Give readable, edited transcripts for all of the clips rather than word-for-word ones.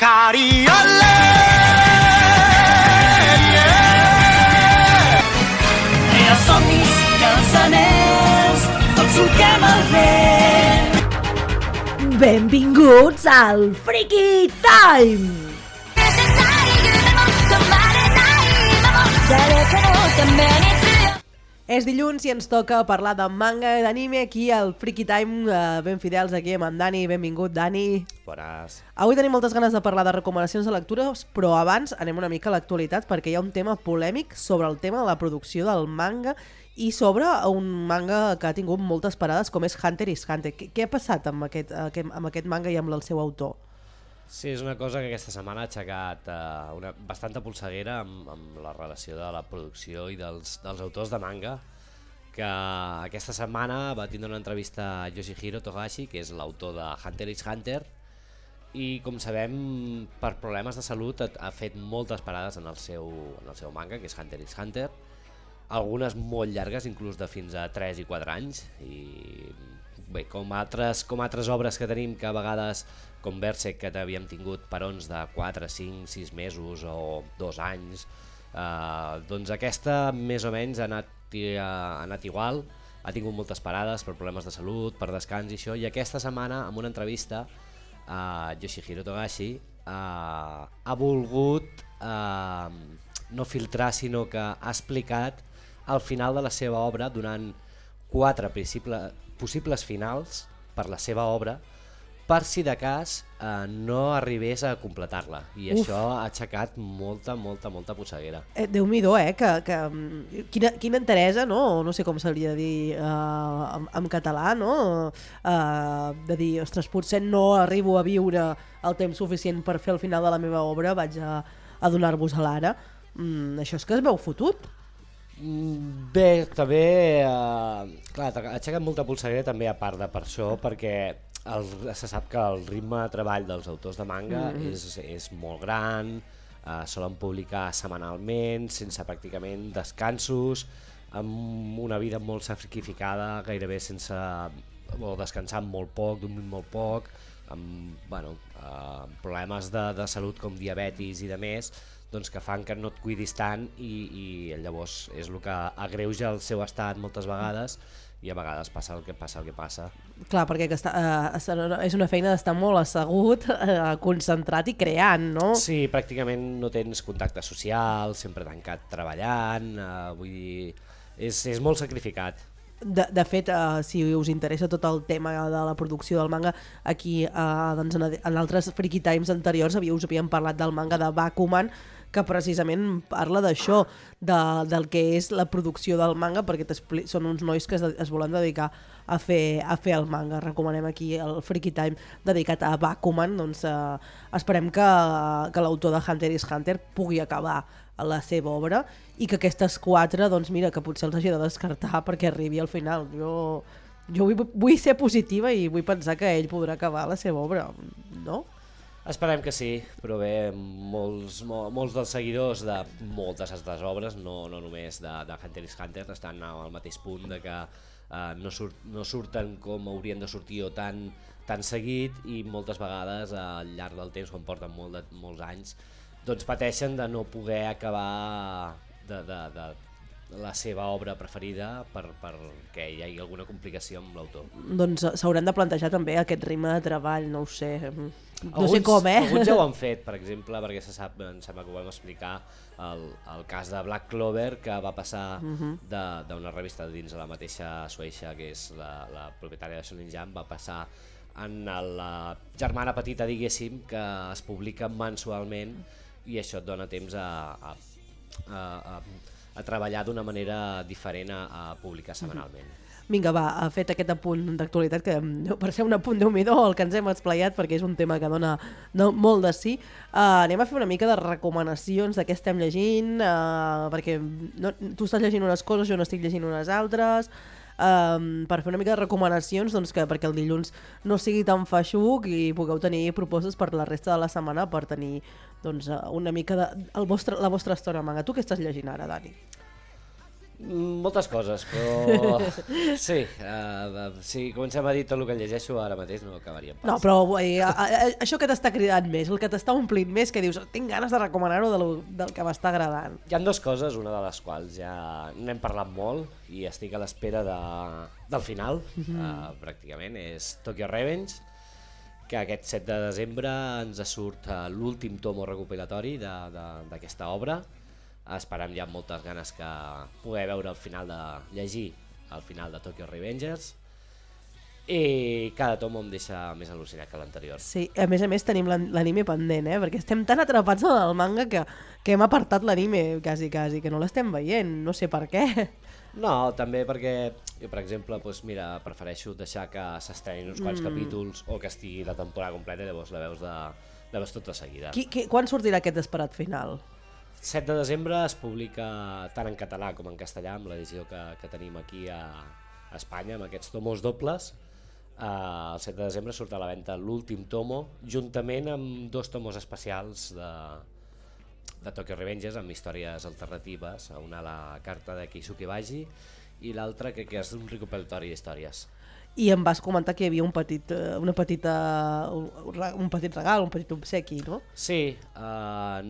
Cariole, els somnis i els anells, tots solquem el vent. Benvinguts al Freaky Time! És dilluns i ens toca parlar de manga i d'anime aquí al Freaky Time, ben fidels aquí amb en Dani. Benvingut, Dani. Bones. Avui tenim moltes ganes de parlar de recomanacions de lectures, però abans anem una mica a l'actualitat perquè hi ha un tema polèmic sobre el tema de la producció del manga i sobre un manga que ha tingut moltes parades com és Hunter x Hunter. Què ha passat amb aquest manga i amb el seu autor? Sí, és una cosa que aquesta setmana ha aixecat una bastanta polseguera amb la relació de la producció i dels autors de manga, que aquesta setmana va tindre una entrevista a Yoshihiro Togashi, que és l'autor de Hunter x Hunter, i com sabem, per problemes de salut ha fet moltes parades en el seu manga, que és Hunter x Hunter, algunes molt llargues, inclús de fins a 3 i 4 anys, i bé, com altres obres que tenim que a vegades, com Berserk, que havíem tingut perons de 4, 5, 6 mesos o 2 anys, doncs aquesta més o menys ha anat igual, ha tingut moltes parades per problemes de salut, per descans i això, i aquesta setmana, en una entrevista, Yoshihiro Togashi ha volgut no filtrar, sinó que ha explicat el final de la seva obra donant 4 possibles finals per la seva obra, per si de cas no arribés a completar-la, i això ha aixecat molta polseguera. Déu-m'hi-do, quina enteresa, no sé com s'hauria de dir en català, no? De dir, ostres, potser no arribo a viure el temps suficient per fer el final de la meva obra, vaig a donar-vos a l'ara. Això és que es veu fotut. Bé, també clar, ha aixecat molta polseguera també a part de per això, perquè se sap que el ritme de treball dels autors de manga és molt gran, solen publicar setmanalment, sense pràcticament descansos, amb una vida molt sacrificada, gairebé sense descansar molt poc, dormint molt poc, amb problemes de salut com diabetis i de més, doncs que fan que no et cuidis tant i llavors és el que agreuja el seu estat moltes vegades, i a vegades passa el que passa. Clar, perquè és una feina d'estar molt assegut, concentrat i creant, no? Sí, pràcticament no tens contacte social, sempre tancat treballant, vull dir, és molt sacrificat. De fet, si us interessa tot el tema de la producció del manga, aquí en altres Freaky Times anteriors us havíem parlat del manga de Bakuman, que precisament parla d'això, del que és la producció del manga, perquè són uns nois que es volen dedicar a fer el manga. Recomanem aquí el Freaky Time dedicat a Bakuman, doncs esperem que l'autor de Hunter x Hunter pugui acabar la seva obra i que aquestes 4, doncs mira, que potser els hagi de descartar perquè arribi al final. Jo vull ser positiva i vull pensar que ell podrà acabar la seva obra, no? Esperem que sí, però bé, molts dels seguidors de moltes altres obres, no només de Hunter x Hunter, estan al mateix punt de que no surten com haurien de sortir o tan seguit, i moltes vegades al llarg del temps, quan porten molts anys, doncs pateixen de no poder acabar de la seva obra preferida perquè hi hagi alguna complicació amb l'autor. Doncs s'hauran de plantejar també aquest ritme de treball, no ho sé, no sé com, Alguns ja ho han fet, per exemple, perquè em sembla que ho vam explicar, el cas de Black Clover, que va passar d'una revista dins de la mateixa Shueisha, que és la propietària de Shonen Jump, va passar en la germana petita, diguéssim, que es publica mensualment, i això et dona temps a treballar d'una manera diferent a publicar setmanalment. Vinga, va, fet aquest apunt d'actualitat, que per ser un apunt Déu-m'hi-do el que ens hem esplayat, perquè és un tema que dona molt de sí. Anem a fer una mica de recomanacions de què estem llegint, perquè tu estàs llegint unes coses, jo no estic llegint unes altres, per fer una mica de recomanacions, doncs, perquè el dilluns no sigui tan feixuc i pugueu tenir propostes per la resta de la setmana per tenir una mica la vostra estona manga. Tu què estàs llegint ara, Dani? Moltes coses, però sí, si comencem a dir tot el que llegeixo ara mateix no acabaríem pas. No, però això que t'està cridant més, el que t'està omplint més, que dius, tinc ganes de recomanar-ho del que m'està agradant. Hi ha dues coses, una de les quals ja n'hem parlat molt i estic a l'espera del final, pràcticament, és Tokyo Revenge, que aquest 7 de desembre ens surt l'últim tomo recopilatori d'aquesta obra. Esperem ja amb moltes ganes que poder veure el final llegir el final de Tokyo Revengers, i cada tomo em deixa més al·lucinat que l'anterior. Sí, a més tenim l'anime pendent, perquè estem tan atrapats en el manga que hem apartat l'anime quasi, que no l'estem veient, no sé per què. No, també perquè jo, per exemple, doncs mira, prefereixo deixar que s'estrenin uns quants capítols o que estigui la temporada completa i llavors la veus tot de seguida. Quan sortirà aquest esperat final? 7 de desembre es publica tant en català com en castellà, amb l'edició que tenim aquí a Espanya, amb aquests tomos dobles. El 7 de desembre surt a la venda l'últim tomo, juntament amb 2 tomos especials de Tokyo Revengers, amb històries alternatives, una a la carta de Keisuke Baji i l'altra que és un recopilatori d'històries. I em vas comentar que hi havia un petit regal, un petit obsequi, no? Sí,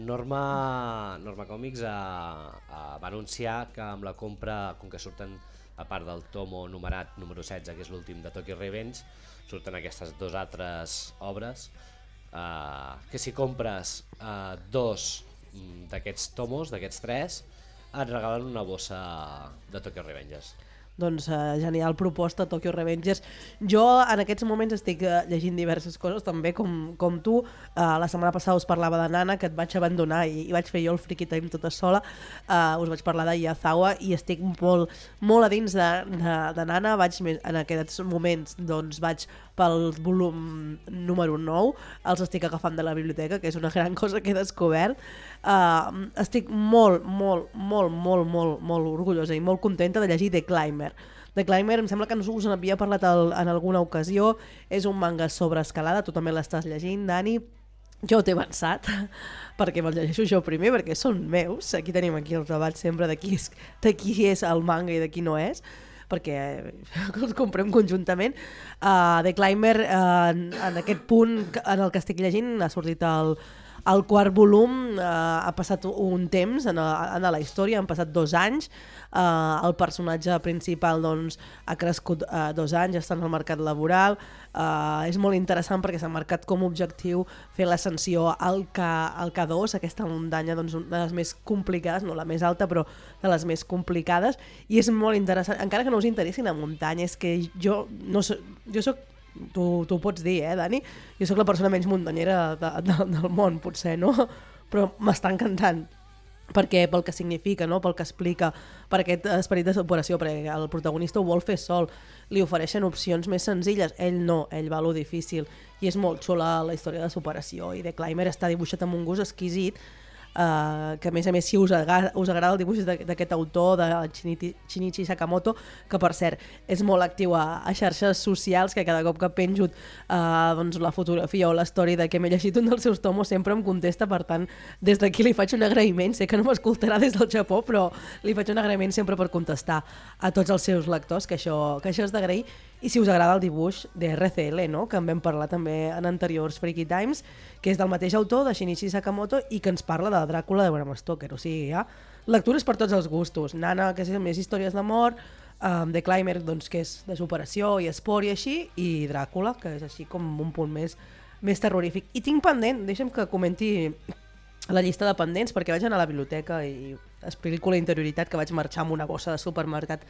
Norma Comics va anunciar que amb la compra, com que surten a part del tomo numerat número 16, que és l'últim de Tokyo Revenge, surten aquestes 2 altres obres, que si compres 2 d'aquests tomos, d'aquests 3, et regalen una bossa de Tokyo Revengers. Doncs genial proposta, Tokyo Revengers. Jo en aquests moments estic llegint diverses coses també com tu. La setmana passada us parlava de Nana, que et vaig abandonar i vaig fer jo el Friki Time tota sola. Us vaig parlar de Yazawa i estic molt a dins de Nana. En aquests moments doncs, vaig pel volum número 9, els estic agafant de la biblioteca, que és una gran cosa que he descobert. Estic molt orgullosa i molt contenta de llegir The Climber. The Climber em sembla que us n'havia parlat en alguna ocasió, és un manga sobre escalada, tu també l'estàs llegint, Dani. Jo t'he avançat, perquè me'l llegeixo jo primer, perquè són meus. Aquí tenim els debats sempre de qui és el manga i de qui no és, perquè els comprem conjuntament. The Climber, en aquest punt en el que estic llegint, ha sortit el 4 volum, ha passat un temps en la història, han passat 2 anys, el personatge principal doncs, ha crescut 2 anys, està en el mercat laboral, és molt interessant perquè s'ha marcat com a objectiu fer l'ascensió al K2, aquesta muntanya doncs, una de les més complicades, no la més alta però de les més complicades, i és molt interessant, encara que no us interessi la muntanya, és que jo soc, tu ho pots dir, Dani? Jo sóc la persona menys muntanyera del món, potser, no? Però m'està encantant, perquè pel que significa, no? Pel que explica, per aquest esperit de superació, perquè el protagonista ho vol fer sol, li ofereixen opcions més senzilles, ell no, ell va a lo difícil, i és molt xula la història de superació, i The Climber està dibuixat amb un gust exquisit, que a més si us agrada el dibuix d'aquest autor, de Shinichi Sakamoto, que per cert és molt actiu a xarxes socials, que cada cop que penjo doncs, la fotografia o l'història de que m'he llegit un dels seus tomos sempre em contesta, per tant des d'aquí li faig un agraïment, sé que no m'escoltarà des del Japó, però li faig un agraïment sempre per contestar a tots els seus lectors, que això és d'agrair. I si us agrada el dibuix de RCL, no? Que en vam parlar també en anteriors Freaky Times, que és del mateix autor, de Shinichi Sakamoto, i que ens parla de Dràcula de Bram Stoker. O sigui, hi ha lectures per tots els gustos. Nana, que és més històries d'amor, The Climber, doncs, que és de superació i esport i així, i Dràcula, que és així com un punt més terrorífic. I tinc pendent, deixa'm que comenti la llista de pendents, perquè vaig anar a la biblioteca i explico la interioritat, que vaig marxar amb una bossa de supermercat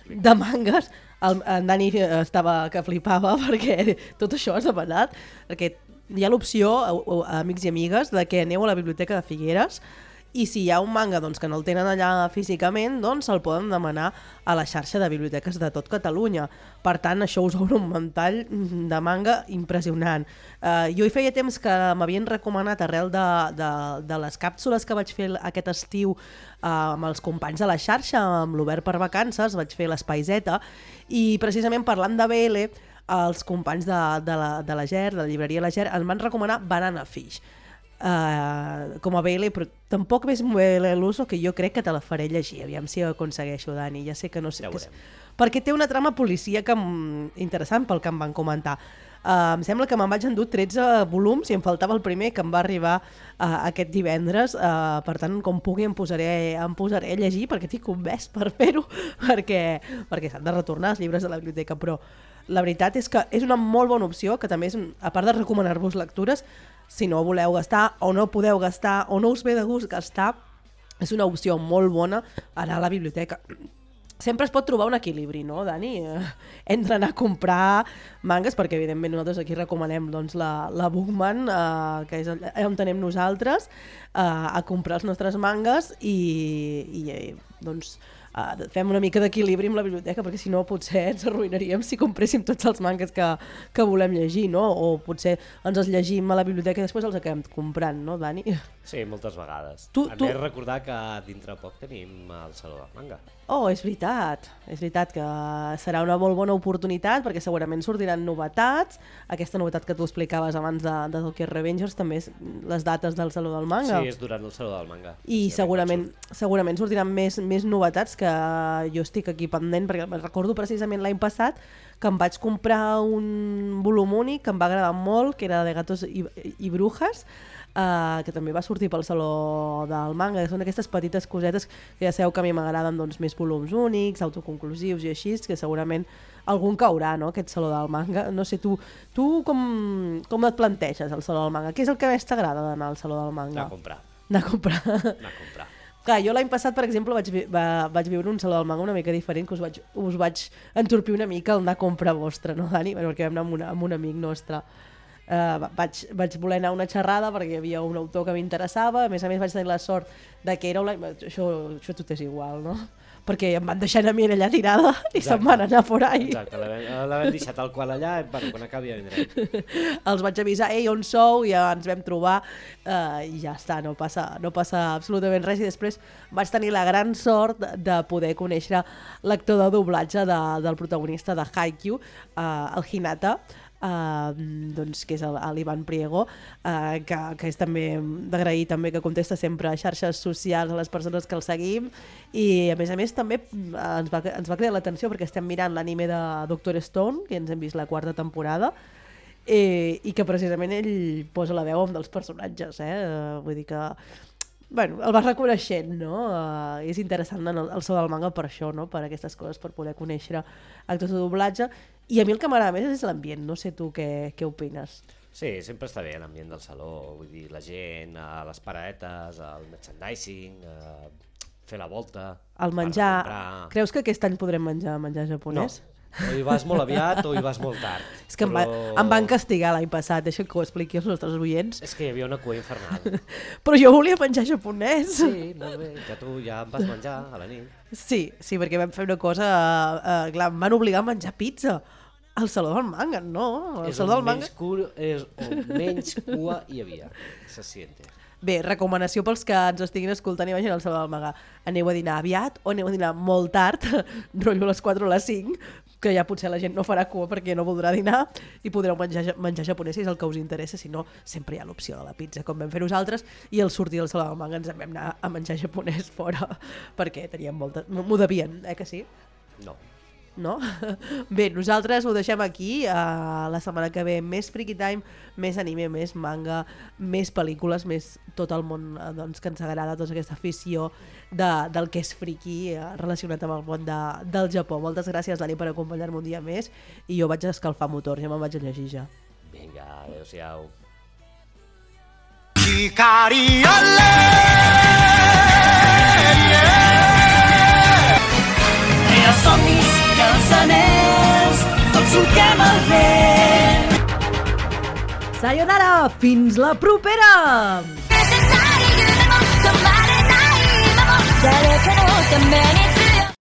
de mangues. En Dani estava que flipava perquè tot això has demanat, perquè hi ha l'opció, amics i amigues, de que aneu a la biblioteca de Figueres i si hi ha un manga doncs, que no el tenen allà físicament, doncs se'l poden demanar a la xarxa de biblioteques de tot Catalunya. Per tant, això us obre un ventall de manga impressionant. Jo hi feia temps que m'havien recomanat, arrel de les càpsules que vaig fer aquest estiu amb els companys de la xarxa, amb l'Obert per Vacances, vaig fer l'Espai Z, i precisament parlant de BL, els companys de la GER, de la llibreria La GER, em van recomanar Banana Fish. com a BL, però tampoc més BL l'uso, que jo crec que te la faré llegir, aviam si ho aconsegueixo, Dani, ja sé que no sé... Ja que veurem. perquè té una trama policíaca interessant pel que em van comentar. Em sembla que me'n vaig endur 13 volums i em faltava el primer, que em va arribar aquest divendres. Per tant, com pugui em posaré a llegir, perquè estic convès per fer-ho, perquè s'han de retornar els llibres de la biblioteca, però la veritat és que és una molt bona opció, que també és, a part de recomanar-vos lectures, si no voleu gastar o no podeu gastar o no us ve de gust gastar, és una opció molt bona anar a la biblioteca. Sempre es pot trobar un equilibri, no, Dani? Entre anar a comprar mangas, perquè evidentment nosaltres aquí recomanem doncs, la Bookman, que és on tenem nosaltres, a comprar els nostres mangas i doncs, fem una mica d'equilibri amb la biblioteca, perquè si no potser ens arruïnaríem si compréssim tots els mangas que volem llegir, no? O potser ens els llegim a la biblioteca i després els acabem comprant, no, Dani? Sí, moltes vegades. A més, recordar que dintre poc tenim el Saló del Manga. Oh, és veritat que serà una molt bona oportunitat, perquè segurament sortiran novetats. Aquesta novetat que tu explicaves abans de Tokyo Revengers també és les dates del Saló del Manga. Sí, és durant el Saló del Manga. I segurament sortiran més novetats, que jo estic aquí pendent, perquè recordo precisament l'any passat que em vaig comprar un volum únic que em va agradar molt, que era de Gatos i Brujas, que també va sortir pel Saló del Manga. Són aquestes petites cosetes que ja sabeu que a mi m'agraden, doncs, més volums únics, autoconclusius i així, que segurament algun caurà, no?, aquest Saló del Manga. No sé, tu com et planteges el Saló del Manga? Què és el que més t'agrada d'anar al Saló del Manga? Anar a comprar. Clar, jo l'any passat, per exemple, vaig viure un Saló del Manga una mica diferent, que us vaig entorpir una mica el anar a comprar vostre, no, Dani? Perquè vam anar amb un amic nostre. Vaig voler anar a una xerrada perquè hi havia un autor que m'interessava. A més vaig tenir la sort de que era online. Això tot és igual, no? Perquè em van deixar a mi allà tirada i se'n van anar por ahí. Exacte, l'havem deixat al qual allà, bueno, quan acabi ja vindrem. Els vaig avisar, ei, on sou? I ja ens vam trobar i ja està, no passa absolutament res. I després vaig tenir la gran sort de poder conèixer l'actor de doblatge del protagonista de Haikyuu, el Hinata, doncs, que és l'Ivan Priego, que és també d'agrair també que contesta sempre a xarxes socials a les persones que el seguim, i a més també ens va cridar l'atenció perquè estem mirant l'anime de Dr. Stone, que ens hem vist la 4ª temporada, i que precisament ell posa la veu amb dels personatges, vull dir que bueno, el vas reconeixent, no? És interessant anar al Saló del Manga per això, no? Per aquestes coses, per poder conèixer actors de doblatge. I a mi el que m'agrada més és l'ambient, no sé tu què opines. Sí, sempre està bé l'ambient del saló, vull dir, la gent, les paradetes, el merchandising, fer la volta... El menjar... Creus que aquest any podrem menjar japonès? No. O hi vas molt aviat o hi vas molt tard. És que em van castigar l'any passat, deixa que ho expliqui als nostres oients. És que hi havia una cua infernal. Però jo volia menjar japonès. Sí, molt bé, tu ja em vas menjar a la nit. Sí, perquè vam fer una cosa... clar, em van obligar a menjar pizza al Saló del Manga, no? És on menys cua hi havia, se siente. Bé, recomanació pels que ens estiguin escoltant i vagin al Saló del Manga. Aneu a dinar aviat o aneu a dinar molt tard, rotllo a les 4 o a les 5, que ja potser la gent no farà cua perquè no voldrà dinar i podreu menjar japonès si és el que us interessa. Si no, sempre hi ha l'opció de la pizza, com vam fer nosaltres, i al sortir del Saló del Manga ens vam anar a menjar japonès fora perquè teníem molta... M'ho devien, que sí? No? Bé, nosaltres ho deixem aquí. La setmana que ve més Freaky Time, més anime, més manga, més pel·lícules, més tot el món doncs, que ens agrada, tota aquesta afició del que és friki relacionat amb el món del Japó. Moltes gràcies, Dani, per acompanyar-me un dia més, i jo vaig a escalfar motors, ja me'n vaig a llegir ja. Vinga, adéu-siau. Somnis i els anells, tots solquem el vent. Sayonara, fins la propera! 誰かのため